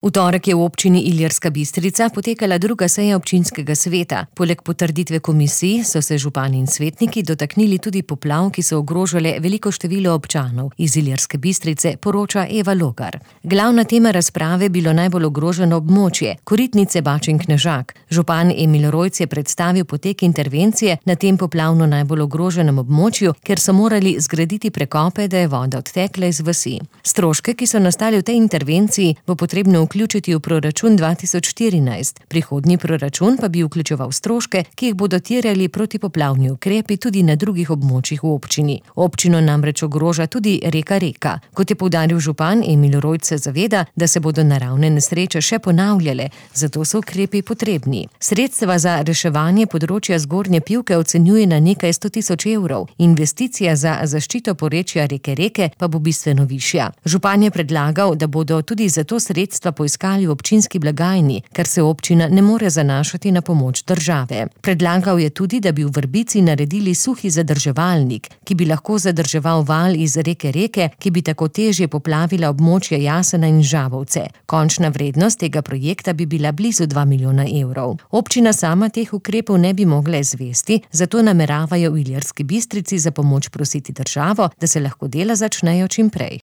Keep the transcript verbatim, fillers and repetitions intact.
V torek je v občini Ilirska Bistrica potekala druga seja občinskega sveta. Poleg potrditve komisij so se župani in svetniki dotaknili tudi poplav, ki so ogrožale veliko število občanov. Iz Ilirske Bistrice poroča Eva Logar. Glavna tema razprave je bilo najbolj ogroženo območje, Koritnice, Bačin Knežak. Župan Emil Rojc je predstavil potek intervencije na tem poplavno najbolj ogroženem območju, ker so morali zgraditi prekope, da je voda odtekla iz vasi. Stroške, ki so nastali v tej intervenciji, bo potrebno vključiti v proračun dva tisoč štirinajst. Prihodnji proračun pa bi vključeval stroške, ki jih bodo terjali protipoplavni ukrepi tudi na drugih območjih v občini. Občino namreč ogroža tudi reka Reka. Kot je poudaril župan, Emil Rojc se zaveda, da se bodo naravne nesreče še ponavljale, zato so ukrepi potrebni. Sredstva za reševanje področja Zgornje Pivke ocenjuje na nekaj sto tisoč evrov. Investicija za zaščito porečja reke Reke pa bo bistveno višja. Župan je predlagal, da bodo tudi za to sredstva poiskali v občinski blagajni, ker se občina ne more zanašati na pomoč države. Predlagal je tudi, da bi v Vrbici naredili suhi zadrževalnik, ki bi lahko zadrževal val iz reke Reke, ki bi tako težje poplavila območje Jasena in Žabovce. Končna vrednost tega projekta bi bila blizu dva milijona evrov. Občina sama teh ukrepov ne bi mogla izvesti, zato nameravajo v Ilirski Bistrici za pomoč prositi državo, da se lahko dela začnejo čim prej.